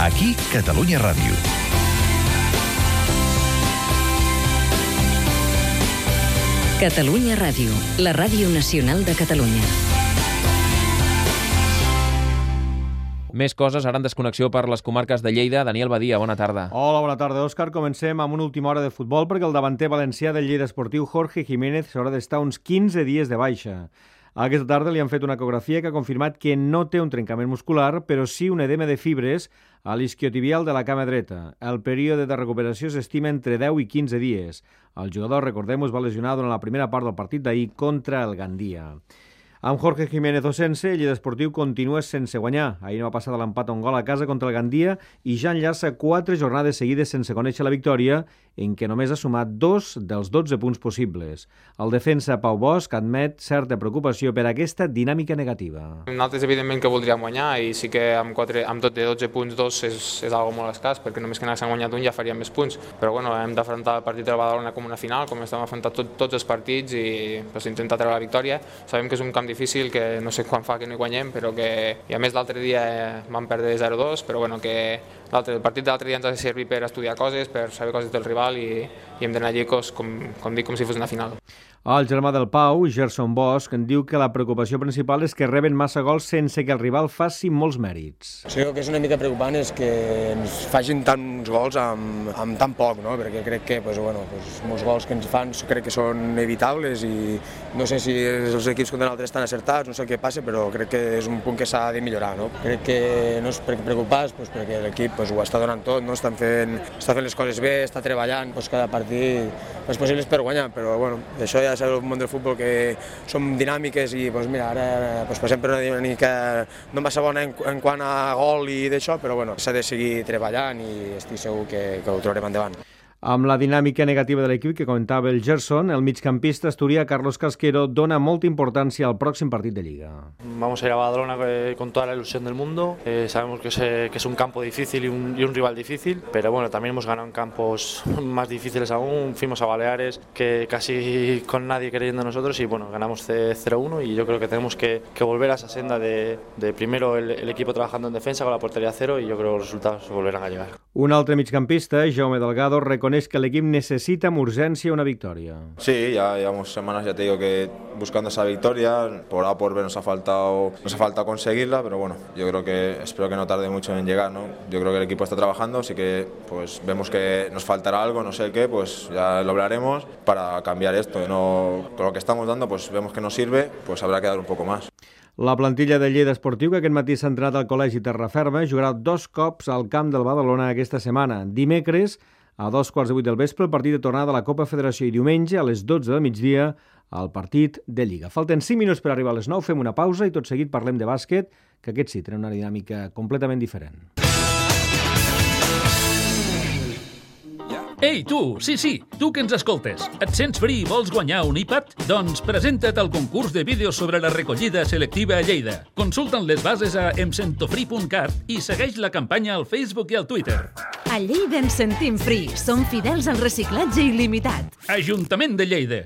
Aquí, Catalunya Ràdio. Catalunya Ràdio, la ràdio nacional de Catalunya. Més coses ara en desconnexió per les comarques de Lleida. Daniel Badia, bona tarda. Hola, bona tarda, Òscar. Comencem amb una última hora de futbol perquè el davanter valencià del Lleida Esportiu, Jorge Jiménez, s'haurà d'estar uns 15 dies de baixa. Aquesta tarda li han fet una ecografia que ha confirmat que no té un trencament muscular, però sí un edema de fibres a l'isquiotibial de la cama dreta. El període de recuperació s'estima entre 10 i 15 dies. El jugador, recordem-ho, es va lesionar durant la primera part del partit d'ahir contra el Gandia. Amb Jorge Jiménez o sense, el Lleida Esportiu continua sense guanyar. Ahir no va passar de l'empat a un gol a casa contra el Gandia i ja enllaça 4 jornades seguides sense conèixer la victòria, en què només ha sumat 2 dels 12 punts possibles. El defensa Pau Bosch admet certa preocupació per aquesta dinàmica negativa. Nosaltres, evidentment, que voldríem guanyar i sí que amb tot de 12 punts, 2 és algo molt escàs, perquè només que n'haguéssim guanyat un ja faríem més punts. Però bueno, hem d'afrontar el partit de Badalona com una final, com estem afrontant tots els partits i intentar treure la victòria. Sabem que és un camp difícil, que no sé quan fa que no hi guanyem, però que, i a més l'altre dia vam perdre 0-2, però bueno, que el partit de l'altre dia ens ha de servir per estudiar coses, per saber coses del rival i hem d'anar allí, com dic, com si fos una final. El germà del Pau, Gerson Bosch, en diu que la preocupació principal és que reben massa gols sense que el rival faci molts mèrits. Sí, el que és una mica preocupant és que ens facin tants gols amb tan poc, no? Perquè crec que molts gols que ens fan crec que són evitables i no sé si els equips contra nosaltres estan acertats, no sé què passa, però crec que és un punt que s'ha de millorar. No? Crec que no és preocupats perquè l'equip ho està donant tot, no? Està fent les coses bé, està treballant cada partit les possibles per guanyar, però això ja sabeu el món del futbol que som dinàmiques i ara passem per una dinàmica no massa bona en quant a gol i d'això, però s'ha de seguir treballant i estic segur que ho trobarem endavant. Amb la dinàmica negativa de l'equip que comentava el Gerson, el migcampista asturià Carlos Casquero dona molta importància al pròxim partit de Lliga. Vamos a ir a Badalona con toda la ilusión del mundo. Sabemos que es un campo difícil y un rival difícil, pero también hemos ganado en campos más difíciles aún. Fuimos a Baleares, que casi con nadie creyendo en nosotros, y ganamos 0-1 y yo creo que tenemos que volver a esa senda de primero el equipo trabajando en defensa con la portería a cero y yo creo que los resultados volverán a llegar. Un altre migcampista, Jaume Delgado, reconeix que el equipo necesita con urgencia una victoria. Sí, ya llevamos semanas, ya te digo, que buscando esa victoria, por A o por B nos ha faltado conseguirla, pero yo creo que espero que no tarde mucho en llegar, ¿no? Yo creo que el equipo está trabajando, así que vemos que nos faltará algo, no sé qué, ya lo hablaremos para cambiar esto. No, con lo que estamos dando, vemos que nos sirve, habrá que dar un poco más. La plantilla de Lleida Esportiu, que aquest matí s'ha entrenat al Col·legi Terraferma, jugarà 2 cops al camp del Badalona aquesta setmana. Dimecres, a 2:15 del vespre, el partit de tornada de la Copa Federació, i diumenge, a les 12 del migdia, el partit de Lliga. Falten 5 minuts per arribar a les 9, fem una pausa i tot seguit parlem de bàsquet, que aquest sí tenen una dinàmica completament diferent. Ei, tu! Sí, tu que ens escoltes. Et sents fri i vols guanyar un iPad? Doncs presenta't al concurs de vídeos sobre la recollida selectiva a Lleida. Consulta'n les bases a emsentofri.cat i segueix la campanya al Facebook i al Twitter. A Lleida ens sentim fri. Som fidels al reciclatge il·limitat. Ajuntament de Lleida.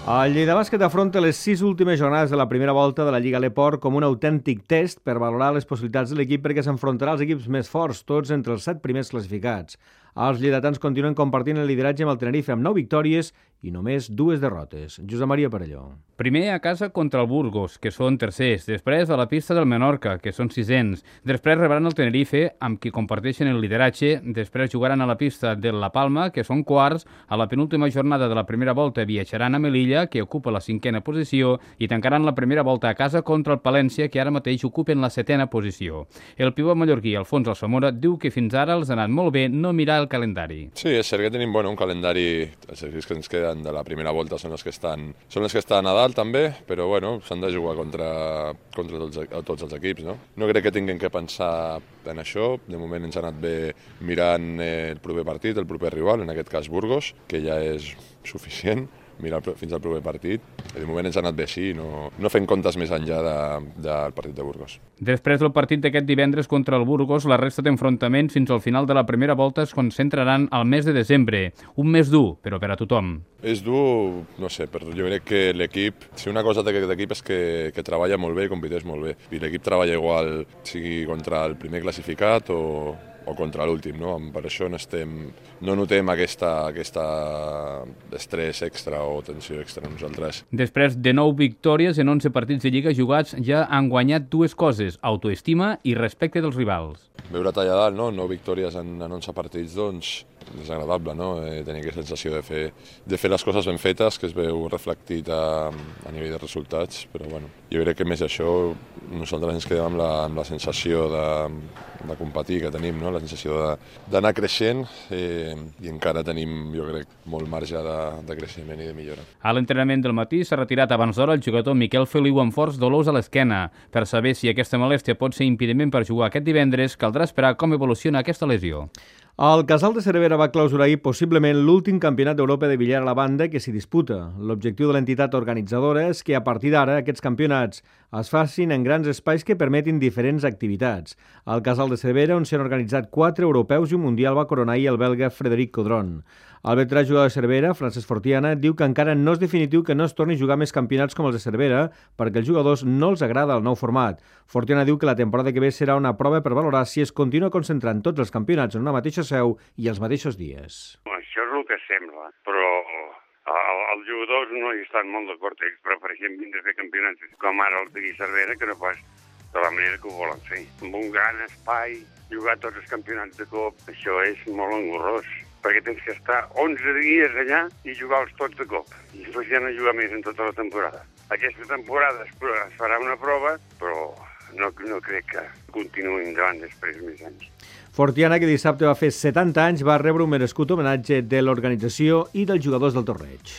El Lleida Bàsquet afronta les 6 últimes jornades de la primera volta de la Lliga L'Eport com un autèntic test per valorar les possibilitats de l'equip, perquè s'enfrontarà als equips més forts, tots entre els 7 primers classificats. Els lleidatans continuen compartint el lideratge amb el Tenerife amb 9 victòries i només 2 derrotes. Josep Maria Perelló. Primer a casa contra el Burgos, que són tercers. Després a la pista del Menorca, que són sisens. Després rebran el Tenerife, amb qui comparteixen el lideratge. Després jugaran a la pista de La Palma, que són quarts. A la penúltima jornada de la primera volta viatjaran a Melilla, que ocupa la 5a posició, i tancaran la primera volta a casa contra el Palència, que ara mateix ocupen la 7a posició. El pivot mallorquí, Alfons Alsamora, diu que fins ara els ha anat molt bé no mirar el calendari. Sí, és cert que tenim un calendari, els equips que ens queden de la primera volta són els que estan a dalt també, però s'han de jugar contra tots els equips, no? No crec que tinguem que pensar en això. De moment ens ha anat bé mirant el proper partit, el proper rival, en aquest cas Burgos, que ja és suficient, mirar fins al proper partit. De moment ens ha anat bé així, no fem comptes més enllà del partit de Burgos. Després del partit d'aquest divendres contra el Burgos, la resta d'enfrontaments fins al final de la primera volta es concentraran al mes de desembre. Un mes dur, però per a tothom. És dur, no sé, però jo crec que l'equip, si una cosa d'aquest equip és que treballa molt bé i competeix molt bé. I l'equip treballa igual, sigui contra el primer classificat o contra l'últim, no? Per això no notem aquest estrès extra o tensió extra nosaltres. Després de 9 victòries en 11 partits de Lliga jugats, ja han guanyat dues coses, autoestima i respecte dels rivals. Veure talla dalt, no? 9 victòries en 11 partits, doncs, és agradable, no? Tenir aquesta sensació de fer les coses ben fetes, que es veu reflectit a nivell de resultats, però bueno, jo crec que més això nosaltres ens quedem amb la sensació de competir que tenim, no? La sensació d'anar creixent i encara tenim, jo crec, molt marge de creixement i de millora. A l'entrenament del matí s'ha retirat abans d'hora el jugador Miquel Feliu amb forts dolors a l'esquena. Per saber si aquesta molèstia pot ser impediment per jugar aquest divendres, caldrà esperar com evoluciona aquesta lesió. El Casal de Cervera va clausurar ahir possiblement l'últim campionat d'Europa de billar a la banda que s'hi disputa. L'objectiu de l'entitat organitzadora és que a partir d'ara aquests campionats es facin en grans espais que permetin diferents activitats. Al Casal de Cervera, on s'han organitzat 4 europeus i un mundial, va coronar ahir el belga Frederic Codron. El veterà jugador de Cervera, Francesc Fortiana, diu que encara no és definitiu que no es torni a jugar més campionats com els de Cervera perquè als jugadors no els agrada el nou format. Fortiana diu que la temporada que ve serà una prova per valorar si es continua concentrant tots els campionats en una mateixa seu i els mateixos dies. Això és el que sembla, però els jugadors no hi estan molt d'acord. Ells prefereixen vindre a fer campionats com ara els d'aquí Cervera que no pas de la manera que ho volen fer. Amb un gran espai, jugar tots els campionats de cop, això és molt engorrós, perquè tens que estar 11 dies allà i jugar-los tots de cop. I després ja no jugar més en tota la temporada. Aquesta temporada es farà una prova, però no crec que continuïn endavant després més anys. Fortiana, que dissabte va fer 70 anys, va rebre un merescut homenatge de l'organització i dels jugadors del torneig.